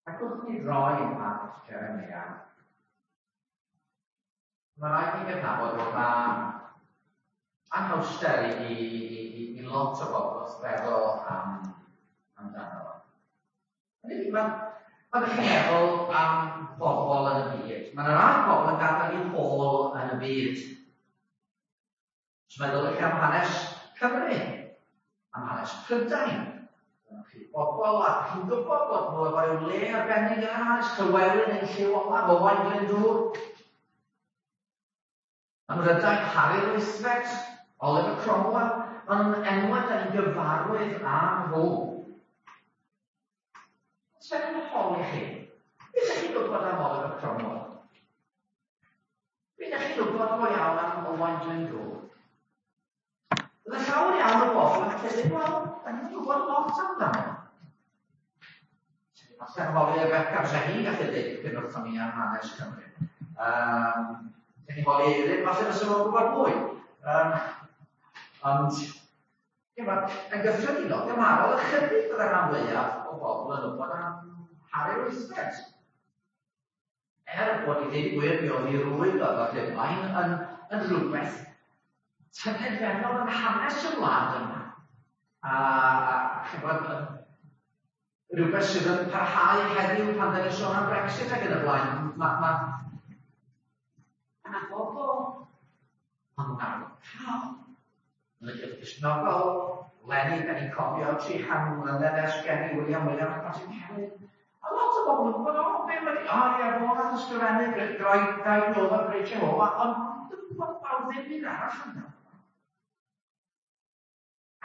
Ac wrth ni droi at Jeremia, mae rhaid ni gydnabod bod yna anhawster i lot o bobl wrth feddwl amdano fo. Hynny yw, pan ydych chi'n meddwl am bobl yn y byd, mae yna rai pobl yn gadael eu hôl yn y byd. Os meddwl chi am hanes Cymru, am hanes Prydain, dyna chi bobl a chi'n gwybod bod nhw efo rhyw le arbennig yn yr hanes, Llywelyn ein llyw olaf, Owain Glyndŵr. Ym Mhrydain, Harri'r Wythfed, Oliver Cromwell, maen nhw'n enwau da ni'n gyfarwydd â nhw. Os fe'n holi chi, beth ydych chi'n gwybod am Oliver Cromwell? Be ydych chi'n wybod go iawn am Owain Glyndŵr? Bydde llawer iawn o bobl yn credu, wel, da ni'n gwybod lot amdano. Falle'n holi Rebecca, fysa hi'n gallu dweud dipyn wrthon ni am hanes Cymru. Dyn ni'n holi Eirin, falle fysa fo'n gwybod mwy. Ond, chimod, yn gyffredinol, gymharol ychydig fydde rhan fwyaf o bobl yn wybod am Harri'r Wythfed. Er bod i ddweud y gwir, mi oedd ei rwyf efo Rhufain yn rhywbeth tyngedfennol yn hanes y wlad yma. A chymod, yn rhywbeth sydd yn parhau heddiw pan da ni'n sôn am Brexit ac yn y blaen. Mae yna bobl, maen nhw'n arwyddocaol, Yn y Cylch Cristnogol, leni, da ni'n cofio 300 mlynedd ers geni William Williams Pontycelyn. A lot o bobl yn gwybod, o, be mae o, ie, fo nath ysgrifennu Guide Jehovah, Great Jehovah, ond dwi'n gwybod fawr ddim byd arall amdano.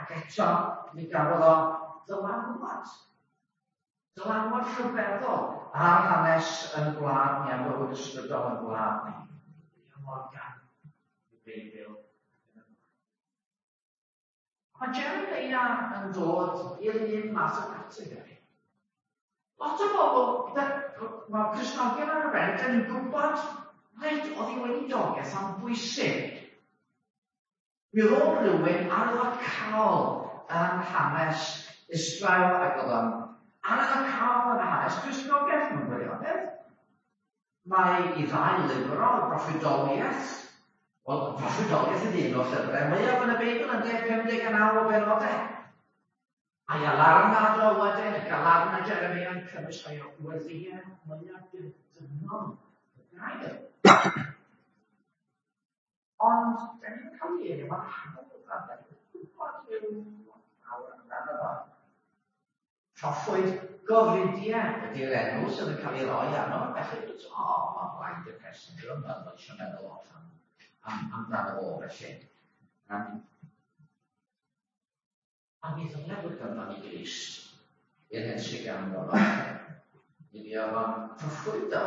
Ac eto, mi gafodd o ddylanwad. Dylanwad rhyfeddol ar hanes yn gwlad ni, ar fywyd ysbrydol yn gwlad ni. William Morgan, y Beibl. Mae Jeremiah yn dod i'r un math o categori. Lot o bobl, mae Cristnogion ar arbennig, da ni'n gwybod, reit, oedd hi weinidogaeth am bwysig. Mi oedd o'n rhywun arwyddocaol yn hanes Israel ac oedd o'n arwyddocaol yn hanes Cristnogaeth mewn gwirionedd. Mae i ddau lyfr o broffwydoliaeth, wel, proffwydoliaeth ydy un o'r llyfrau mwyaf yn y Beibl yn 59 o benodau. A'i alarnad o wedyn, y galarnad Jeremia yn cynnwys rhai o weddïau mwyaf dirdynnol y gair. Ond, da ni'n cael ei enw ar hawdd a da ni'n gwybod rhyw lot fawr amdano fo. Proffwyd gofidiau ydy'r enw sydd yn cael ei roi arno, felly dweud, o, oh, mae'n blaid y person yw'r yma, mae'n eisiau meddwl lot amdano fo, felly. A mi ddylai fod ganddo ni Grist i'r hyn sydd ganddo fo. Mi fuodd o'n proffwydo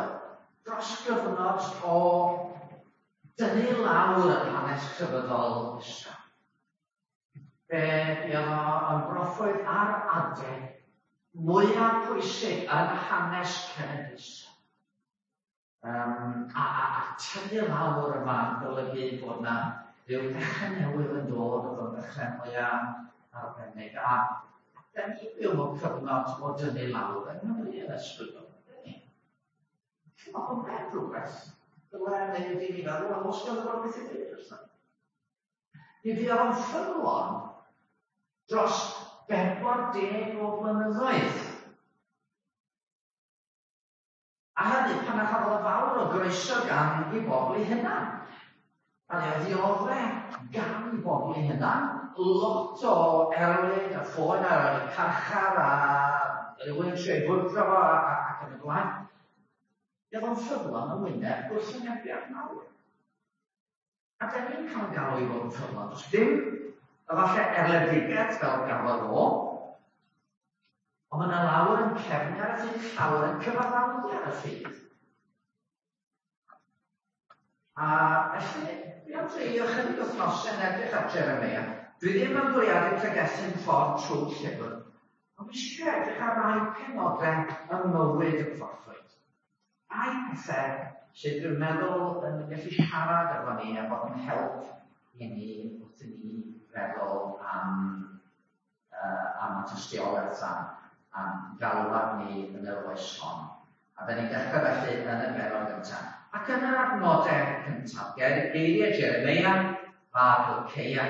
dros gyfnod o dynnu lawr yn hanes crefyddol Israel. Fe fuodd o yn broffwyd ar adeg mwyaf pwysig yn hanes cenedl Israel. A tynnu lawr yma yn golygu bod 'na ryw ddechrau newydd yn dod, oedd o'n ddechrau mwyaf arbennig. A da ni'n byw mewn cyfnod o dynnu lawr yng Nghymru yn ysbrydol, ydyn ni? Felly mae hwnna'n rhywbeth dyle wneud i ni feddwl, wel, os ganddo fo rhywbeth i ddweud wrthon ni. Mi fuodd o'n ffyddlon dros 40 o flynyddoedd. A hynny pan na chafodd o fawr o groeso gan ei bobl ei hunan. A fe ddiodde gan ei bobl ei hunan, lot o erlid a phoen ar y carchar a rhywun yn trio ei fwrdro fo ac yn y blaen. Fe oedd o'n ffyddlon yn wyneb gwrthwynebiad mawr. A da ni'n cael galw i fod yn ffyddlon. Does dim efallai erledigaeth fel gafodd o, ond mae yna lawer yn cefnu ar y ffydd, llawer yn cyfaddawdu ar y ffydd. A felly, dwi am dreulio chydig wythnosau yn edrych ar Jeremiah. Dwi ddim yn bwriadu pregethu'n ffordd trwy'r llyfr, ond fi eisiau edrych ar rai penodau ym mywyd y proffwyd. Rhai pethau sydd dwi'n meddwl yn gallu siarad efo ni a bod yn help i ni wrth i ni feddwl am y tystiolaeth am a'n galwad ni yn yr oes hon. A da ni'n dechrau felly yn y bennod gyntaf. Ac yn yr adnodau cyntaf, geiriau Jeremeia a Hilceia,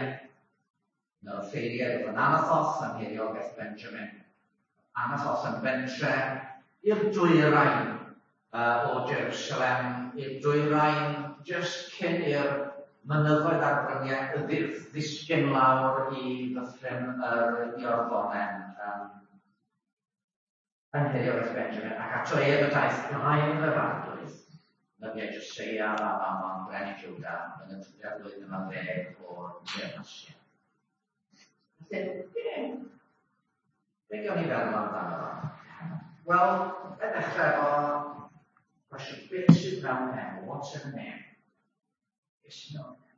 un o'r offeiriaid oedd yn Anathoth yn nhiriogaeth Benjamin. Anathoth yn bentre i'r dwyrain o Jerusalem, i'r dwyrain jyst cyn i'r mynyddoedd a'r bryniau ddisgyn lawr i ddyffryn yr Iorddonen yn nhiriogaeth Benjamin, ac ato ef y daeth gair yr Arglwydd, nyddiau Joseia mab Amon, brenin Jwda, yn y trydydd flwyddyn ar ddeg o'r deyrnasiad. Felly, be gawn ni feddwl amdano fo? Wel, i ddechrau efo cwestiwn, beth sydd mewn enw? What's in a name? Beth sydd mewn enw?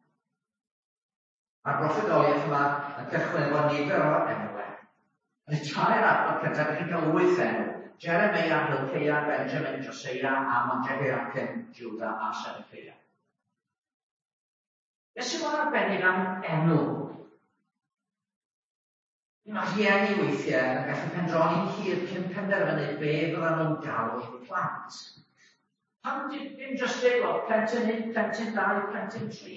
Mae'r broffwydoliaeth yma yn cychwyn efo nifer o enwau. Yn y tair adnod cyntaf, ydych chi'n cael 8 enw. Jeremeia, Hilceia, Benjamin, Joseia, Amon, Jehoiakim, Judah a Sedekeia. Beth sydd mor arbennig am enw? Mae rhieni weithiau yn gallu pendroni'n hir cyn penderfynu be fyddan nhw'n galw eu plant. Pam dim jyst dweud, wel, plentyn 1, plentyn 2, plentyn 3?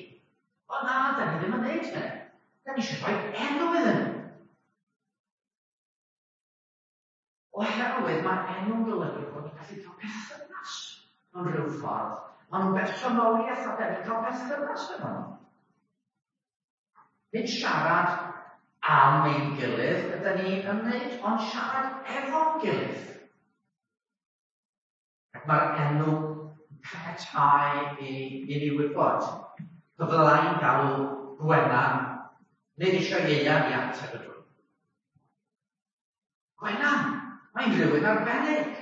O na, da ni ddim yn neud hynny. Da ni eisiau rhoi enw iddyn nhw. Oherwydd mae enw'n golygu bod ni'n gallu cael perthynas mewn rhyw ffordd. Maen nhw'n bersonoliaeth a da ni'n cael perthynas efo nhw. Nid siarad am ein gilydd ydyn ni yn wneud, ond siarad efo'n gilydd. Ac mae'r enw yn caniatáu i ni wybod. Pe fyddai'n galw Gwenan, nid eisiau Ieuan i ateb ydw i. Gwenan, mae'n rhywun arbennig.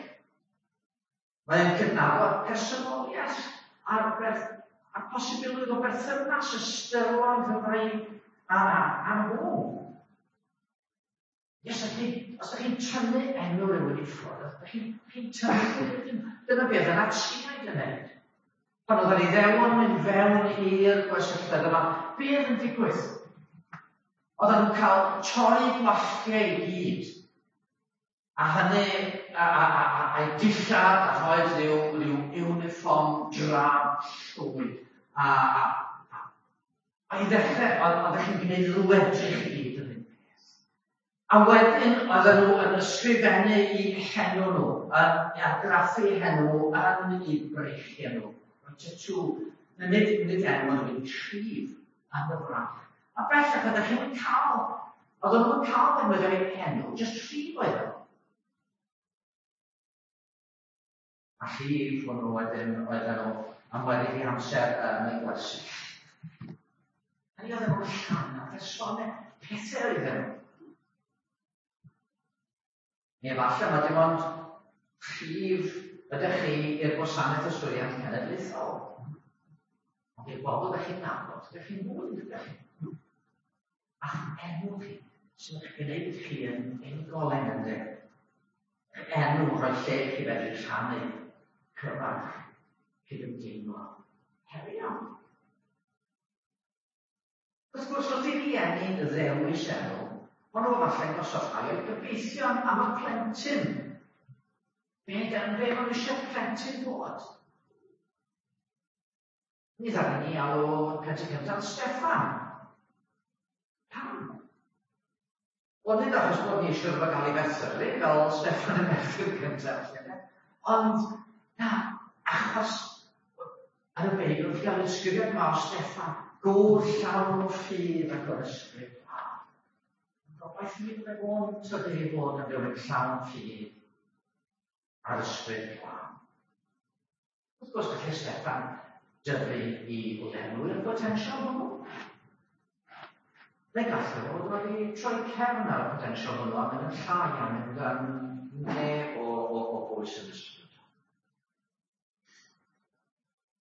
Mae'n cydnabod personoliaeth a'r a'r posibilrwydd o berthynas ystyrlon rhwng a nhw. Yes, os ydych chi'n tynnu enw rhywun i ffwrdd, ydych chi'n tynnu, dyna beth y Natsïaid yn neud. Pan oedd yr Iddewon mynd fewn i'r gwersylloedd yma, beth yn digwydd? Oedden nhw'n cael torri gwalltiau i gyd. A hynny, a'i dillad, a rhoi rhyw uniform drab llwyd. A i ddechrau, oeddech chi'n gwneud nhw edrych i gyd yn un peth. A wedyn, oedden nhw yn ysgrifennu i henw nhw, yn argraffu henw nhw yn eu breichiau nhw. Rhoi tattoo. Nid enw, ond yn rhif yn y fraich. A bellach, oeddech chi'n cael, oedden nhw'n cael defnyddio eu henw, jyst rhif oedd o. A rhif hwnnw wedyn oedden nhw am weddill eu amser yn y gwersyll. Hynny oedden nhw'n rhan o personau, pethau oedden nhw. Neu efallai mae dim ond rhif ydych chi i'r gwasanaeth yswiriant cenedlaethol. Ond i'r bobl ydych chi'n nabod, ydych chi'n fwy, ydych chi? A'ch enw chi sy'n eich gwneud chi yn unigolyn, ynddo? Eich enw rhoi lle i chi fedru rhannu, cyfarch, cydymdeimlo, herio. Wrth gwrs, wrth i rieni ddewis enw, maen nhw efallai'n gosod rhai o'u gobeithion am y plentyn. Be maen nhw eisiau plentyn fod? Mi ddaru ni alw plentyn cyntaf Steffan. Pam? Wel, nid achos bod ni eisiau iddo gael ei ferthyru fel Steffan y merthyr cyntaf, ond na, achos yn y Beibl chi'n cael ysgrifiad yma o Steffan, gŵr llawn o ffydd ac o'r ysbryd glân. Gobaith mi fydde fo'n tyfu i fod yn rhywun llawn ffydd a'r ysbryd glân. Wrth gwrs, gallai Steffan dyfu i lenwi'r potensial hwnnw. Neu gallai fod wedi troi cefn ar y potensial hwnnw a mynd yn llai a mynd yn neb o bwys yn ysbrydol.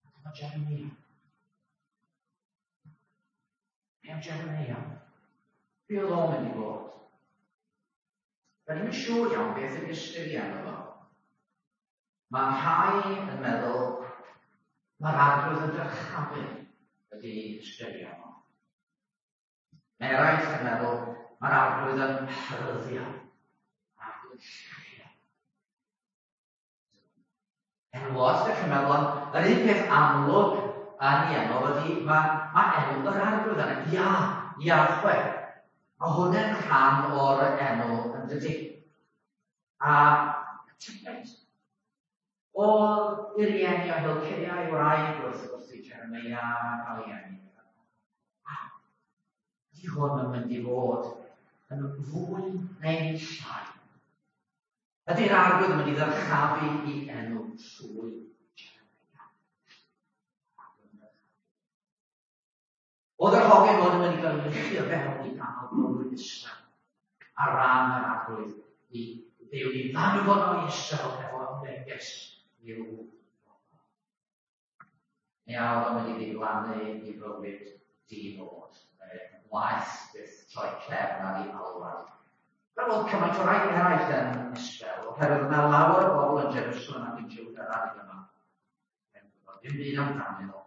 A dyma Jeremia. Be am Jeremia? Be oedd o'n mynd i fod? Da ni'n siŵr iawn beth ydy ystyr i enw fo. Mae rhai yn meddwl mae'r Arglwydd yn dyrchafu ydy ystyried fo. Mae eraill yn meddwl mae'r Arglwydd yn heryddio. Arglwydd Lle. Enw os ydych chi'n meddwl, ond yr un peth amlwg yn ei enw ydy mae, mae enw yr arglwydd yna, Ia, Iahwe. Mae hwnna'n rhan o'r enw yn dydy. A tybed, oedd ei rieni o Hilceia ei wraig wrth wrth i Jeremia cael ei eni. A ydy hwn yn mynd i fod yn fwy neu llai? Ydy'r arglwydd yn mynd i ddyrchafu i enw trwy Jeremia? Oedd yr hogyn hwn yn mynd i gael ei luchio fewn i ganol bywyd Israel ar ran yr arglwydd i Dduw i ddanfon o Israel efo neges i'w bobl. Mi a oedd o'n mynd i ddiflannu i fywyd di-nod, waeth byth troi cefn ar ei alwad. Fel oedd cymaint o rai eraill yn Israel, oherwydd yna lawer o bobl yn Jerusalem ac yn Judah ar adeg yma. Yn gwybod ddim byd amdanyn nhw.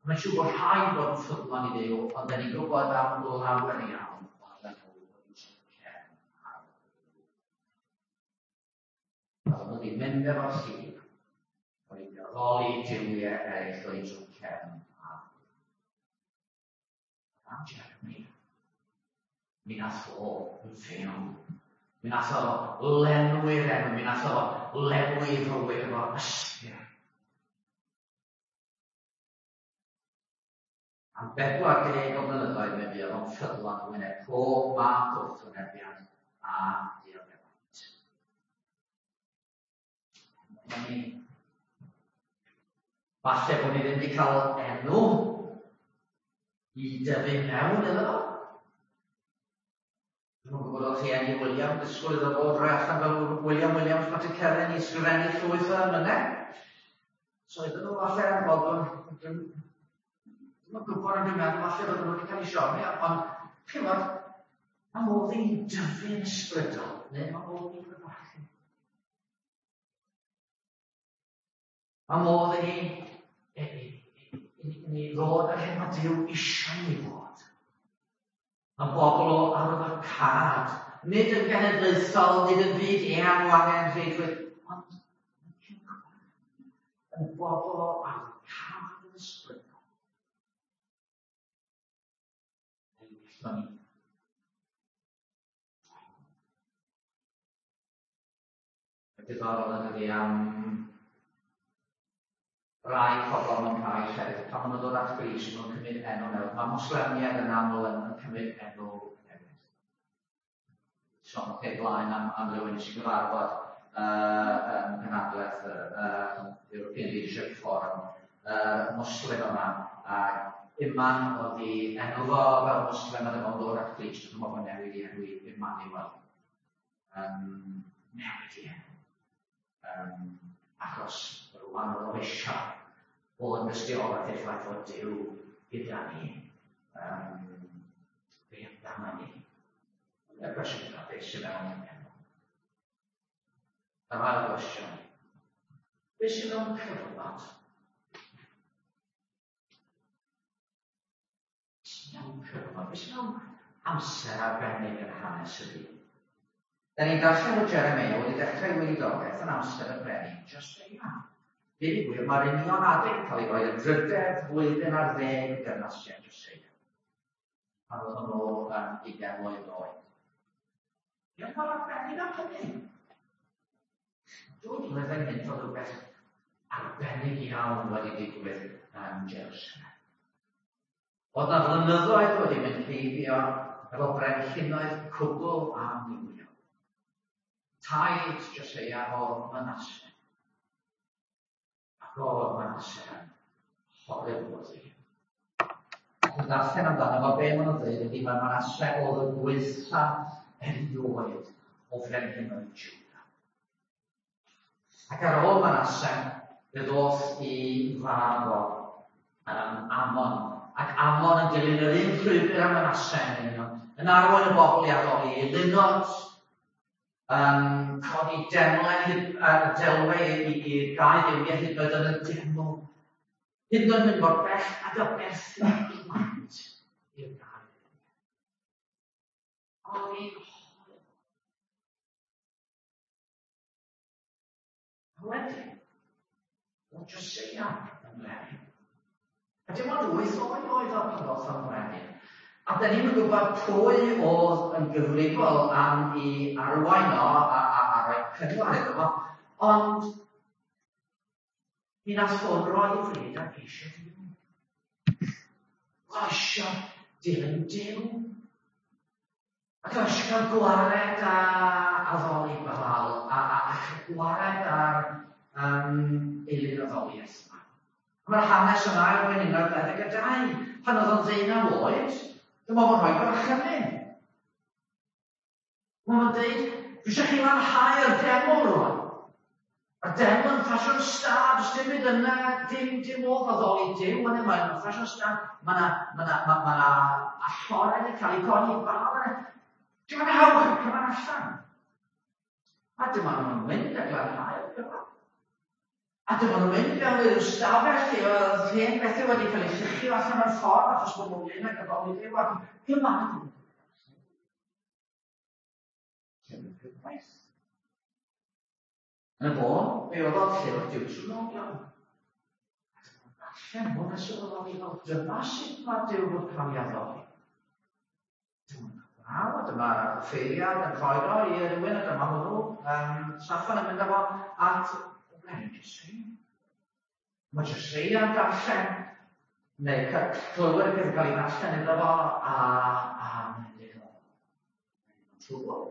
Mae'n siŵr bod rhai bod yn ffyddlon i Dduw, ond da ni'n gwybod am lawer iawn oedden nhw wedi troi cefn ar Dduw. Oedden nhw wedi mynd efo'r llif, wedi addoli duwiau eraill wedi troi cefn ar Dduw. Am Jeremiah, mi nath o fyw. Mi nath o lenwi'r enw, mi nath o lenwi fywyd efo ystyr. Am 40 o flynyddoedd mi fuodd o'n ffyddlon yn wyneb pob math o wrthwynebiad a dioddefaint. Ni. Falle bod ni ddim wedi cael enw i dyfu mewn iddo fo. Dwi'm yn gwybod oedd rhieni William yn disgwyl iddo fo droi allan fel William Williams Pantycelyn i ysgrifennu llwyth o emynau. So iddyn nhw falle yn bod yn... Dwi'm yn gwybod ond dwi'n meddwl falle fod nhw wedi cael eu siomi, ond chi'n gwybod, mae modd i ni dyfu'n ysbrydol, neu mae modd i ni grebachu. Mae modd i ni, i, i, i, i ni ddod ar hyn mae Duw eisiau ni fod. Mae bobl o arwyddocâd, nid yn genedlaethol, nid yn fyd eang o angenrheidrwydd, ond yn bobl o arwyddocâd yn ysbrydol. Neu gallwn ni. Diddorol yn dydi am rai pobl mewn rhai llefydd, pan maen nhw'n dod at Grist, maen nhw'n cymryd enw newydd. Mae Moslemiaid yn aml yn, yn cymryd enw newydd. Sôn pe blaen am, am rywun nes i gyfarfod yn cynhadledd European Leadership Forum, Muslim yma, a Iman oedd i enw fo fel Muslim a dyma o'n dod at Grist, a dyma fo'n newid i enw i Emmanuel. Newid i enw. Achos rwan oedd o eisiau bod yn dystiolaeth i'r ffaith fod Duw gyda ni. Be amdano ni? Y cwestiwn yna, beth sy'n mewn enw? Yr ail gwestiwn, beth sy'n mewn cyfnod? Beth sy'n mewn cyfnod? Beth sy'n mewn amser arbennig yn hanes y byd? Da ni'n darllen bod Jeremia wedi dechrau ei weinidogaeth yn amser y brenin Joseia. Deud y gwir, mae'r union adeg yn cael ei roi yn drydedd flwyddyn ar ddeg y dyrnasiad Joseia. Pan oedd hwnnw yn 20 mlwydd oed. Diolch mor arbennig am hynny. Dwy flynedd ynghynt oedd rhywbeth arbennig iawn wedi digwydd yn Jerusalem. Oedd na flynyddoedd wedi mynd heibio efo brenhinoedd cwbl amrywiol. Taid Joseia oedd Manasse. Ac oedd Manasse yn horrible oedd hi. Ac yn darllen amdano fo, be maen nhw'n dweud ydy mae Manasse oedd y gwaetha erioed o frenhinoedd Judah. Ac ar ôl Manasse, fe ddoth i fab o, Amon. Ac Amon yn dilyn yr un llwybr â Manasse yn union, yn arwain y bobl i addoli eilunod, yn codi demlau, hyd, delwau i, i, i'r gau dduwiau hyd yn oed yn y deml. Hyd yn oed mynd mor bell ag aberthu plant i'r gau dduwiau. Oedd hi'n horrible. Wedyn, oedd Joseia yn frenin. A dim ond 8 oed oedd o pan ddoth o'n frenin. A da ni'n gwybod pwy oedd yn gyfrifol am i arwain o a rhoi cyngor iddo fo, ond mi nath hwn roi ei fryd ar geisio Duw. Oedd eisiau dilyn Duw. Ac oedd eisiau cael gwared â addoli Baal a chael gwared ar eilun addoliaeth yma. Mae'r hanes yma yn Ail Frenhinoedd 22, pan oedd o'n 19 oed, dyma fo'n rhoi gorchymyn. Mae o'n dweud, dwi eisiau chi lanhau'r deml rwan. A'r deml yn ffasiwn stad, does dim byd yna, dim modd addoli Duw yna, mae'n ffasiwn stad, mae yna ma ma ma ma allorau wedi cael eu codi i Baal yna. Dim ond hawch y cyfan allan. A dyma nhw'n mynd a glanhau'r cyfan. A dyma nhw'n mynd fewn i'r ystafell lle oedd hen bethau wedi cael eu lluchio allan o'r ffordd achos bod nhw'n mynd ag addoli Duw ac dyma Llyfr Cyfraith. Yn y bôn, fe oedd o'n llyfr Deuteronomion. A dyma darllen hwn a sylweddoli fel dyma sut mae Duw fod cael ei addoli. Dyma draw, a dyma'r offeiriad yn rhoi o i rywun, a dyma hwnnw, Saffan yn mynd â fo at y brenin Joseia. Mae Joseia yn darllen, neu clywed y peth yn cael ei ddarllen iddo fo, a mae'n dweud, o, mae'n trwbl,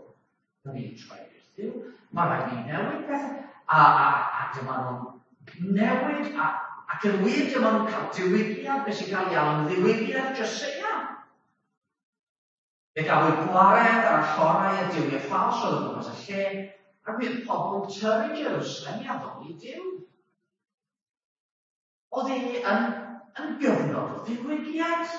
da ni'n troi wrth Dduw, mae rhaid ni newid pethau, a dyma nhw'n newid, ac yn wir dyma nhw'n cael diwygiad, beth sy'n cael ei alw'n ddiwygiad Joseia. Fe gafwyd gwared ar allorau y duwiau ffals oedd o gwmpas y lle, ac mi oedd pobl yn tyrru Jerusalem i addoli Duw. Oedd e yn gyfnod o ddiwygiad.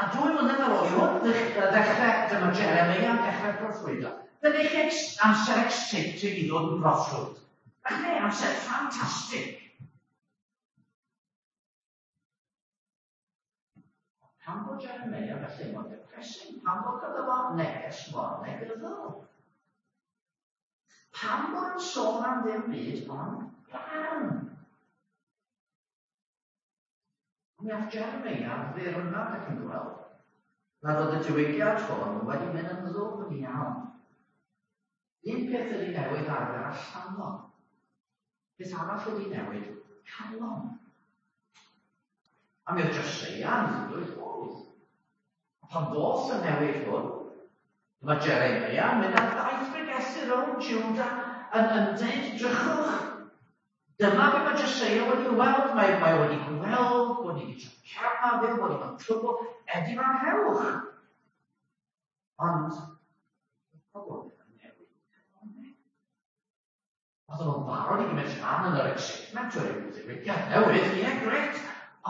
A 2 mlynedd ar ôl i hwn ddechrau, dyma Jeremia yn dechrau proffwydo. Dyna chi amser exciting i ddod yn broffwyd. Ac ne, amser ffantastig. Pam bod Jeremia felly mor depressing? Pam bod gyda fo neges mor negyddol? Pam bod yn sôn am ddim byd ond barn? Mi ath Jeremia ddirnad ac yn gweld nad oedd y diwygiad hwn wedi mynd yn ddwfn iawn. Un peth ydy newid arfer allanol. Peth arall ydy newid calon. A mi oedd Joseia yn ddwydd oed. A pan ddoth y newid hwn, mae Jeremia yn mynd ar daith bregethu rownd Juda yn dweud, drychwch, dyma be mae Joseia wedi weld, mae wedi gweld bod ni wedi troi cefn ar Dduw, bod ni mewn trwbl, edifarhewch. Ond, pobl ddim yn newid calonnau. Oedden nhw'n barod i gymryd rhan yn yr excitement o'r ddiwygiad newydd, ie, grêt,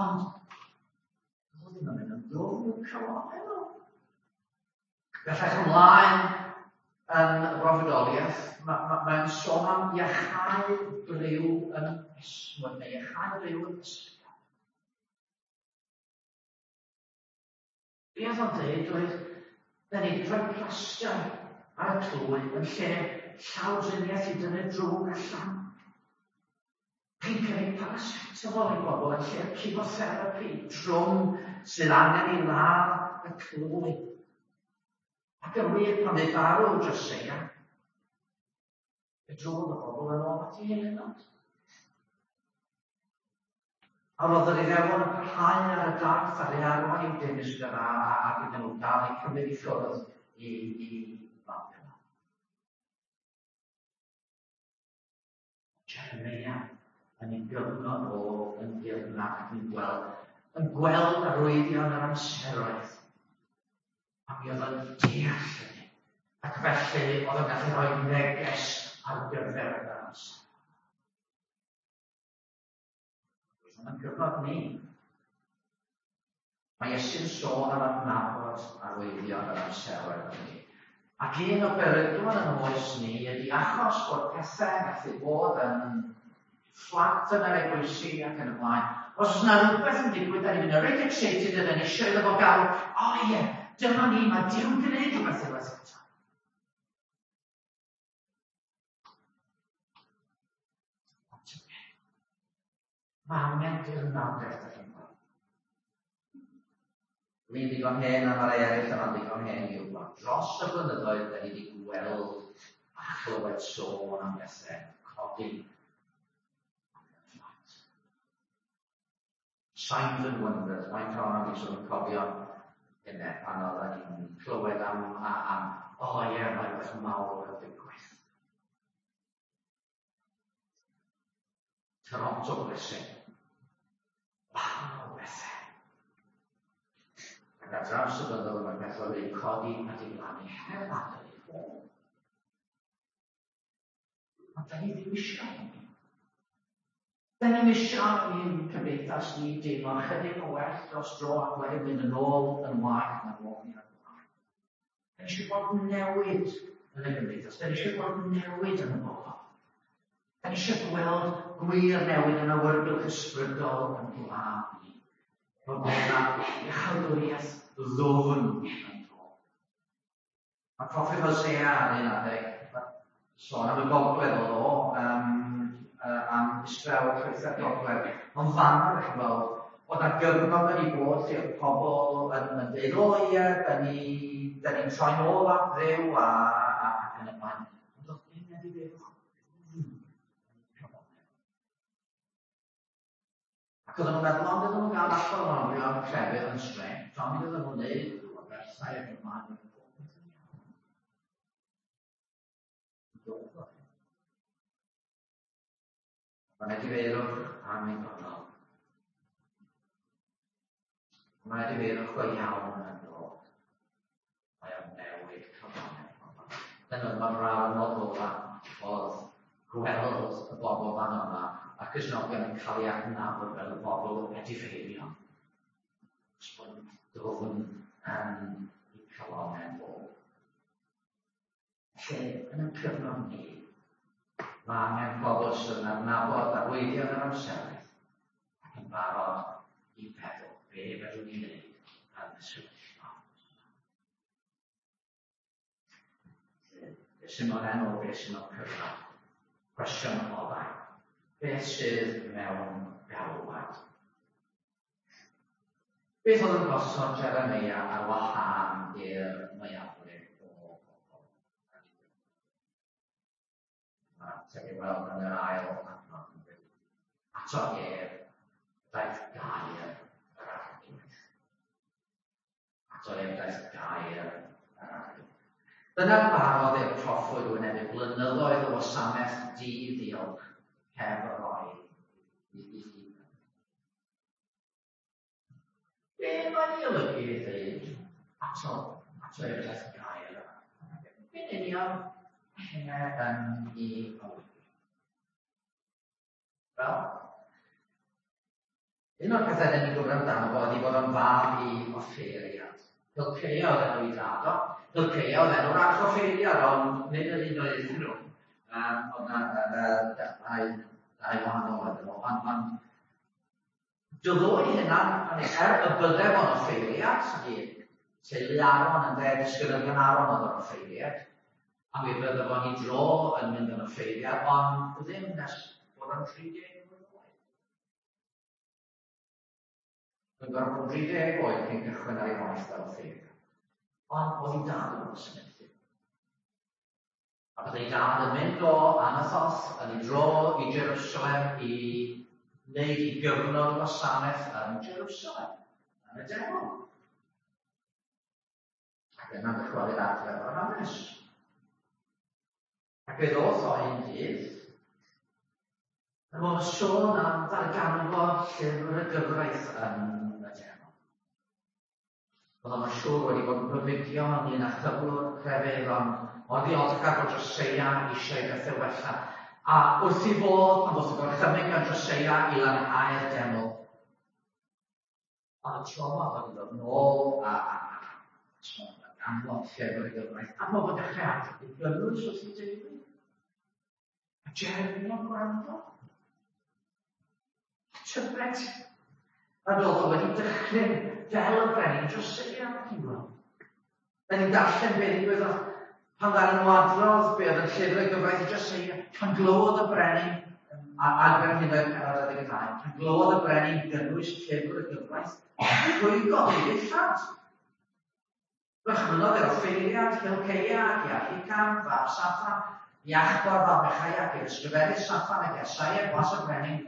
ond oedd ddim yn mynd yn ddwfn i'w calonnau nhw. Bellach ymlaen yn y broffwydoliaeth, mae'n sôn am iachau briw yn esmwyth, neu iachau briw yn ysgaf. Be oedd o'n dweud oedd, da ni wedi rhoi plaster ar y clwy yn lle llawdriniaeth i dynnu drwg allan. Chi'n cynnig paracetamol i bobl yn lle chemotherapy trwm sydd angen i ladd y clwy. Ac yn wir, pan dde farw Joseia, fe drodd y bobl yn ôl at ei eilunod. A roedd yr Iddewon yn parhau ar y daith ar ei arwain i'w dinistr ac iddyn nhw gael eu cymryd i ffwrdd i Babilon. Jeremia yn ei gyfnod o yn dirnad ac yn gweld arwyddion yr amseroedd. A mi oedd yn deall hynny. Ac felly oedd yn gallu rhoi neges ar gyfer yr amser. Yn gyfnod ni. Mae Iesu'n sôn am adnabod arwyddion yr amseroedd hynny. Ac un o beryglon yn oes ni ydy achos bod pethau yn gallu bod yn fflat yn yr eglwysi ac yn y blaen. Os oes yna rhywbeth yn digwydd, da ni'n mynd yn reit excited a da ni eisiau iddo fo gael, o ie, dyma ni, mae Duw'n gwneud rhywbeth unwaith eto. Mae angen dirnadaeth ar hyn. Dwi'n ddigon hen a mae rai eraill yma'n ddigon hen i wybod. Dros y blynyddoedd, da ni wedi gweld a chlywed sôn am bethau codi fflat. Signs and Wonders, mae'n cael am eisiau yn cofio hynny pan oedden ni'n clywed am, am, o oh, ie, yeah, mae rhywbeth mawr yn digwydd. Toronto Blessing. Wahanol bethau. Ac ar draws y blynyddoedd mae pethau wedi codi a diflannu heb adael ei ffôn. Ond da ni ddim eisiau hynny. Da ni'n eisiau i'n cymdeithas ni deimlo chydig o well dros dro ac wedyn mynd yn ôl yn waeth na roedd ni ar blaen. Da ni eisiau gweld newid yn y gymdeithas. Da ni eisiau gweld newid yn y bobl. Da ni eisiau gweld gwir newid yn awyrgylch ysbrydol yn gwlad ni. Bod yna iachawdwriaeth ddwfn yn dod. Mae proffwyd Hosea ar un adeg, sôn am y gogledd oedd o, am Israel, llwythau'r gogledd. Ond fan'na, ydych chi'n gweld, oedd na gyfnod wedi bod lle oedd pobl yn dweud, o ie, da ni'n ni troi'n ôl at Dduw a, a, ac yn y blaen. Ond oedd dim wedi dweud, Ac oedden nhw'n meddwl, ond oedden nhw'n gael allan o'n orion crefydd yn strength, ond oedden nhw'n neud rhyw aberthau ac yn ymlaen, oedd popeth yn iawn. Mae'n edifeirwch annibynnol. Mae edifeirwch go iawn yn dod. Mae o'n newid cyfannedd pobl. Dyna mae'r rawd ola oedd gweld y bobl fan yma a Cristnogion yn cael ei adnabod fel y bobl edifeirion. Os bod dwfn yn eu calonnau nhw. Felly, yn y cyfnod ni, mae angen pobl sydd yn adnabod arwyddion yr amseroedd ac yn barod i feddwl be fedrwn ni wneud yn y sefyllfa. Beth sy'n mewn enw, beth sy'n mewn cyfnod? Cwestiwn ola. Beth sydd mewn galwad? Beth oedd yn gosod Jeremia ar wahân i'r mwyafrif o bobl? Mae'r ateb i weld yn yr ail adnod yn dweud. Ato ef, daeth gair yr Arglwydd. Ato ef daeth gair yr Arglwydd. Dyna'r barodd i'r proffwyd wynebu blynyddoedd o wasanaeth di-ddiolch heb roi i i Be mae'n ei olygu i ddweud ato, ato i'r daeth gair yma? Be'n union mae hynna yn ei olygu? Wel, un o'r pethau dyn ni'n gwybod amdano fo ydy bod o'n fab i offeiriad. Hilceia oedd enw i dad o. Hilceia oedd enw'r archoffeiriad, ond nid yr un oedd iddyn nhw. Oedd na dau, dau wahanol oedd nhw. Ond, ond Dylai hynna, er y bydde fo'n offeiriad, i teulu Aaron yn dde, disgynyddion Aaron oedd yr offeiriad, a mi fydde fo'n ei dro yn mynd yn offeiriad, ond ddim nes bod o'n 30 mlwydd oed. Mae'n gorfod bod yn 30 oed cyn cychwyn ar ei waith fel offeiriad. Ond oedd ei dad yn wasanaethu. A byddai dad yn mynd o Anathoth yn ei dro i Jerusalem i wneud i gyfnod gwasanaeth yn Jerusalem, yn y deml. Ac yna dychwelyd adre o'r hanes. Ac fe ddoth o un dydd, yn ôl sôn am ddarganfod llyfr y gyfraith yn y deml. Oedd o'n siŵr wedi bod yn gofidio ynglyn â chyflwr crefydd, ond mor ddiolchgar bod Joseia eisiau i bethau wella. A wrth i fodd, pan ddoth y gorchymyn gan Joseia i lanhau'r deml, oedd y trauma wedi dod nôl a, a, a, a ganfod llyfr y gyfraith, a mae bod dechrau adrodd i gynnwys wrth i deulu. A Jeremia'n gwrando. Tybed nad oedd o wedi dychryn fel y brenin Joseia, chi'n gweld. Da ni'n darllen be ddigwyddodd pan ddaru nhw adrodd be oedd yn llyfr y gyfraith i Joseia, pan glywodd y brenin adfer hynod penod 12, pan glywodd y brenin gynnwys llyfr y gyfraith, rhwygodd ei ddillad. Gorchmynnodd yr offeiriad Hilceia ac i Ahicam, fab Saffan, i Achbor fab Mechaia, ac i'r ysgrifennydd Saffan ac i Asaia gwas y brenin,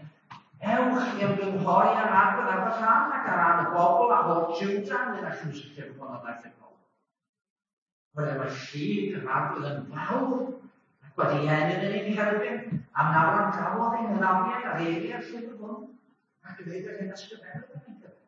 Ewch i ymgynghori ar arwydd ar fy rhan ac ar ran y bobl a holl Juda ynglyn â chynnwys y llyfr hwn a ddaeth i'r golwg. Oherwydd mae llid yr arwydd yn fawr ac wedi enyn yn ein herbyn, am na wrandawodd ein hynafiaid ar eiriau'r llyfr hwn, ac i ddeud yr hyn ysgrifennodd yn ei gyfer.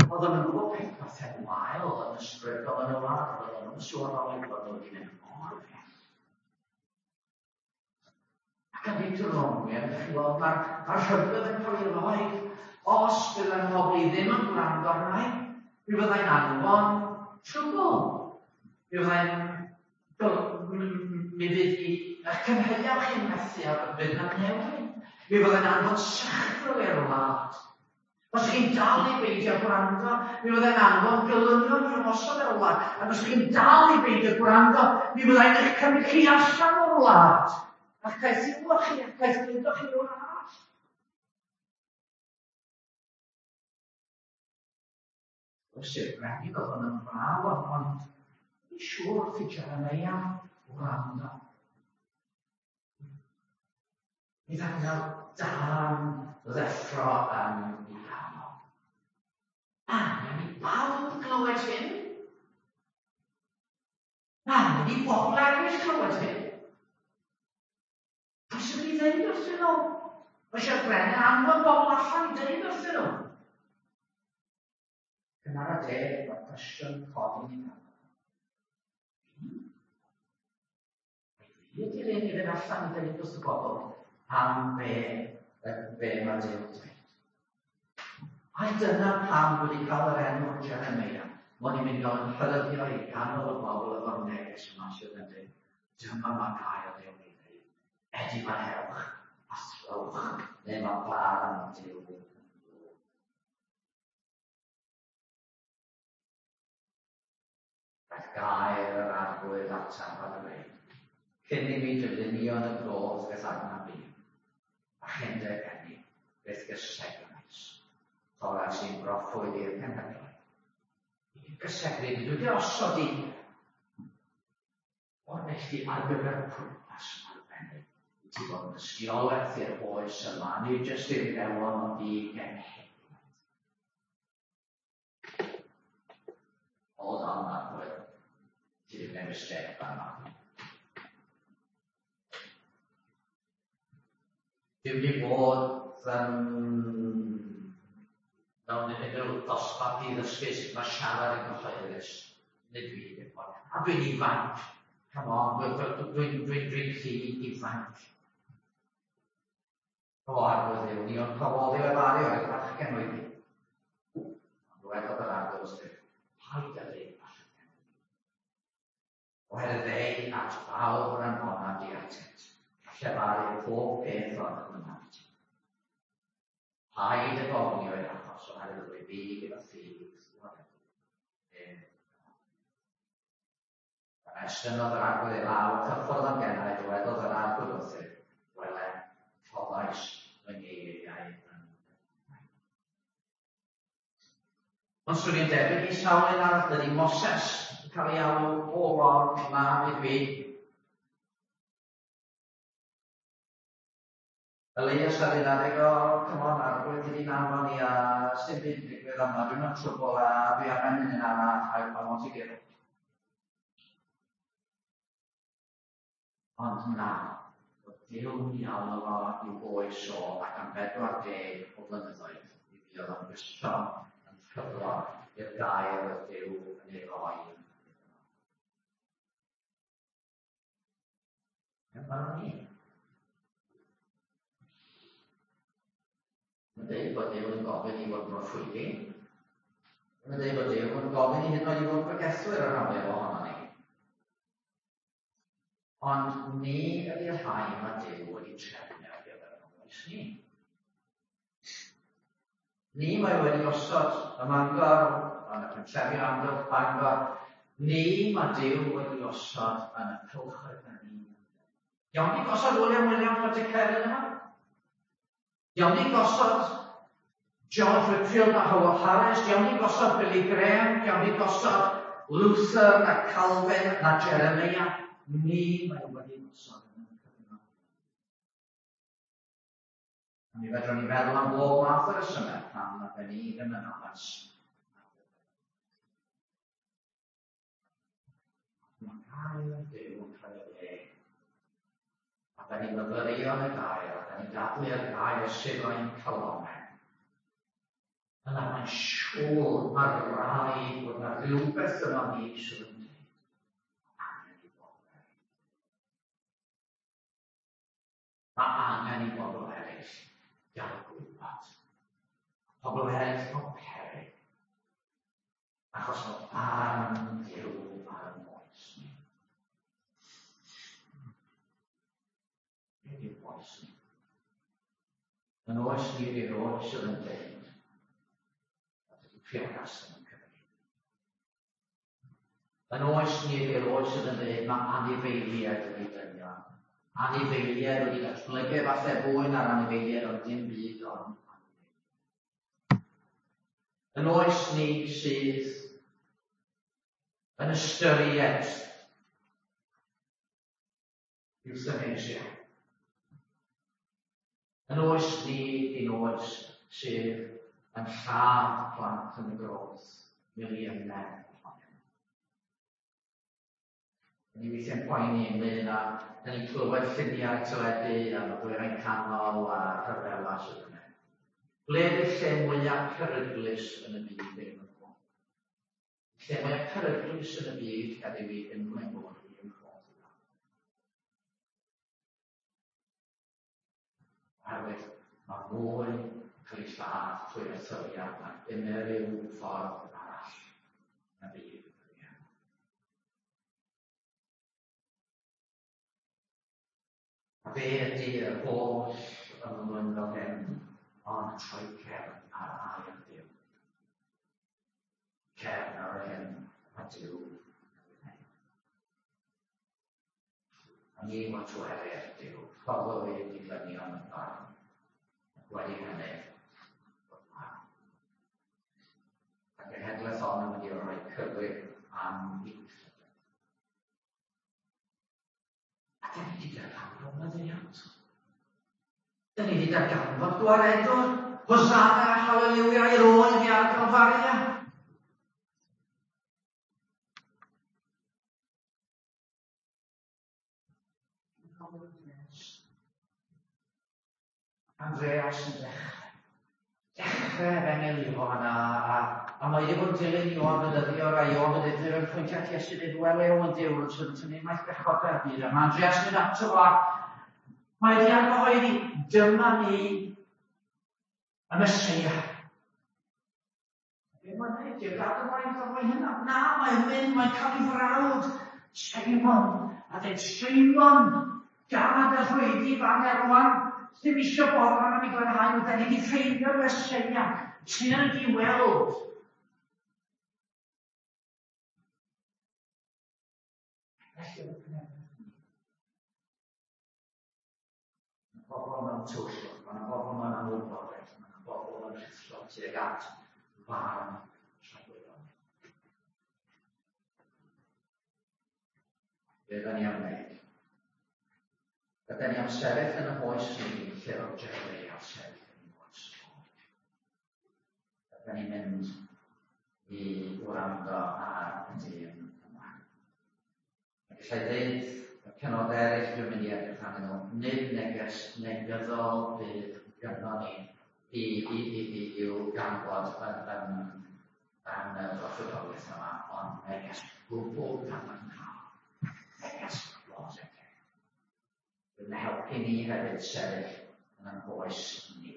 Oedden nhw'n gwybod pethau wael yn ysbrydol yn y wlad, oedden nhw'n sylweddoli bod nhw wedi mynd mor bell. Ac yn Deuteronomium, ydych chi'n gweld, mae'r ma rhybudd yn cael ei roi. Os bydd yng nghobl i ddim yn gwrando arnau, mi fyddai'n anfon trwbl. Mi fyddai'n Mi fydd i eich cynheuaf chi'n methu a fydd na newid. Mi fyddai'n anfon sychrwyr i'r wlad. Os chi'n dal i beidio gwrando, mi fyddai'n anfon gelynion i ymosod ar y wlad. Ac os chi'n dal i beidio gwrando, mi fyddai'n eich cymryd chi allan o'r wlad. A'ch caethiwo chi, a'ch caethgludo chi rhywle arall. Oes i'r brenin oedd hwn yn fraw, ond ond fi'n siŵr wrth i Jeremiah wrando. Mi ddangel dan ddeffro yn ei ganol. Angen i bawb glywed hyn. Angen i bobl eraill clywed hyn. Pwy sy'n mynd i ddeud wrthyn nhw? Mae eisiau'r brenin anfon bobl allan i ddeud wrthyn nhw. Cyn ar y deg, mae'r cwestiwn codi ni nawr. Fi ydy'r un i fynd allan i ddeud wrth y bobl am be, be mae Duw yn dweud. Ai dyna pam wedi cael yr enw Jeremiah, mod i'n mynd i gael yn rhyddio i ganol y bobl efo'r neges yma sydd yn dweud, Dyma mae gair Duw yn ei ddweud, Edifarhewch a throwch, neu mae barn Duw yn dod. Daeth gair yr Arglwydd ataf a dweud, Cyn i mi dy lunio yn y groth beth adnab fi, a chyn dy eni, beth gysegnais. Torrais i'n broffwyd i'r cenhedloedd. I gysegru, dwi wedi osod i O'r neilltu ar gyfer pwrpas arbennig, i ti fod yn dystiolaeth i'r oes yma, nid jyst i'r Iddewon ond i genhedlaeth. Hold on, Arglwydd. Ti wedi gwneud mistake fan yma. Dwi wedi bod yn mewn unrhyw dosbarth i ddysgu sut mae siarad yn gyhoeddus. Nid fi ddim ond. A dwi'n ifanc. Come on, dwi'n dwi, dwi, dwi, dwi rhy ifanc. O, arglwydd Dduw, ni ond cafodd i lefaru oedd bachgen oedd i. Ond dywedodd yr arglwydd wrthyf, paid â dweud bachgen. Oherwydd ei at bawb yr anfona di atynt, a llefaru pob peth o'r hynaf i ti. Paid ag ofni o'i achos, oherwydd yr wyf fi gyda thi i'th waredu. Yna estynnodd yr arglwydd ei law, cyffwrdd â'm genau, dywedodd yr arglwydd wrthyf, Wele, rhoddais fy ngeiriau yn dy enau. Ond swn i'n debyg i sawl un arall, dydy Moses yn cael ei alw o lord, na, nid fi. Elias ar un adeg, o, come on, arglwydd, ti di'n anfon i a sdim byd yn digwydd yma, dwi'n mewn trwbl a dwi angen un arall, I, I want to give up. Ond na, oedd Duw'n i alw fo i'w oes o ac am 40 o flynyddoedd mi fuodd o'n gyson yn ffyddlon i'r gair oedd Duw yn ei roi iddo fo. Dyma ni. Mae'n dweud bod Duw yn gofyn i fod yn broffwydi. Mae'n dweud bod Duw yn gofyn i hyd yn oed i fod yn bregethwyr ar rhan fwyaf ohonon ni. Ond ni ydy'r rhai mae Duw wedi trefnu ar gyfer yn oes ni. Ni mae wedi osod ym Mangor, yn y pentrefi o amgylch Bangor. Ni mae Duw wedi osod yn y cylchoedd na ni. Iawn ni gosod William Williams o Dycelyn yma? Iawn ni gosod George Whitfield a Howell Harris, iawn ni gosod Billy Graham, iawn ni gosod Luther na Calvin na Jeremiah. Ni mae wedi gosod yn y cyfnod. A mi fedrwn ni feddwl am bob math o resymau pam na ben ni ddim yn addas. Mae gair Duw yn cael ei le. A da ni'n myfyrio yn y gair, a da ni'n dadlu ar gair sydd o'n calonau. Yna mae'n siŵr, mae rhaid bod yna rhywbeth yma ni sydd yn dweud. Angen i bobl eraill. Mae angen i bobl eraill gael gwybod. Pobl eraill mewn peryg. Achos mae barn Duw ar y moes ni. Beth yw'r oes ni? Yn oes ni ydy'r oes sydd yn dweud nad ydy priodas ddim yn cyfri. Yn oes ni ydy'r oes sydd yn dweud mae anifeiliaid wedi dynion. Anifeiliaid wedi datblygu falle fwy na'r anifeiliaid ond dim byd ond anifeiliaid. Yn oes ni sydd yn ystyried euthanasia. Yn oes ni di'n oes sydd yn lladd plant yn y groth, miliynau ohonyn nhw. Ni weithiau'n poeni ynglyn â, da ni'n clywed lluniau teledu am y dwyrain canol a rhyfela sydd yna. Ble ydy'r lle mwyaf peryglus yn y byd ddim yn gwybod? Lle mwyaf peryglus yn y byd heddiw i unrhyw un bod yn Portugal. Oherwydd mae mwy yn cael ei lladd trwy erthyliad nag unrhyw ffordd arall na byd. A be ydy yr holl ymddwyn fel hyn ond troi cefn ar air Duw. Cefn ar yr hyn mae Duw yn ei wneud. A ni watwerir Duw, rhoddodd ei dilynion yn farn, ac wedi hynny, bod farn. A genhedlaeth hon yn mynd i roi cyfrif am ei weithredoedd. A dyn ni wedi darganfod maddeuant. Dyn ni wedi darganfod gwaredwr, Hosanna, Hallelujah, i'r oen i ar Calfaria. Andreas yn dechrau. Dechrau efengyl Ioan a, a, a mae wedi bod yn dilyn Ioan Fedyddiwr a Ioan Fedyddiwr yn pwyntio at Iesu dweud, wel ew yn Duw yn sydd yn tynnu maith bechodau'r byd. A mae Andreas yn mynd ato fo a mae wedi argyhoeddi, dyma ni y Meseia. Be mae'n neud? Di'r gad ymlaen ffordd mae hynna. Na, mae'n mynd, mae'n cael ei frawd, Simon, a dweud, Simon, gad y rhwydi fan erwan, ddim eisiau boddran am ei glanhau nhw, da ni wedi ffeindio'r Meseia, tyrd i weld. Felly, oedd y Mae pobl mewn twll, mae yna bobl mewn anwybodaeth, mae yna bobl yn rhuthro tuag at farn tragwyddol. Be da ni am wneud? Ydyn ni am sefyll yn y hoes ni lle oedd Jeremiah sefyll yn ei oes. Ydyn ni'n mynd i wrando ar y dyn yma. A gallai ddeud y penodau eraill dwi'n mynd i edrych arnyn nhw, nid neges negyddol fydd gynnon ni i, i, i, i, i'w ganfod yn, yn, yn y broffwydoliaeth yma, ond neges gwbl gadarnhaol. Neges bositif. Bydd yn helpu ni hefyd sefyll yn ein hoes ni.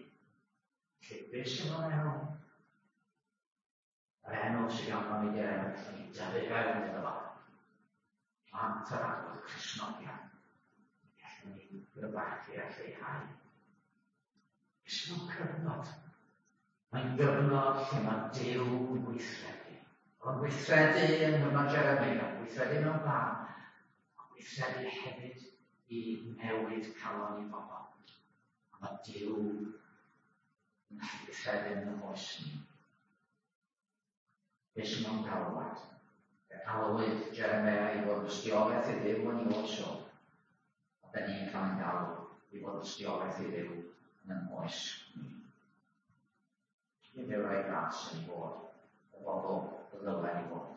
Felly, beth sy'n o'n enw? Yr enw sydd ganddo ni di'r enw gallwn ni dyfu fewn iddo fo. Plant yr arglwydd Cristnogion. Gallwn ni gryfachu a lleihau. Beth sy'n cyfnod? Mae'n gyfnod lle mae Duw yn gweithredu. Oedd o'n gweithredu yng nghyfnod Jeremia, gweithredu mewn barn, ond gweithredu hefyd i newid calon i bobl. A mae Duw yn gallu gweithredu yn y oes ni. Be sy'n mewn galwad? Fe alwyd Jeremia i fod ystiolaeth i Dduw yn ei oes o. A da ni'n cael ein galw i fod ystiolaeth i Dduw yn ein oes ni. Nid yw rhai gras yn fod y bobl y ddylen ni fod.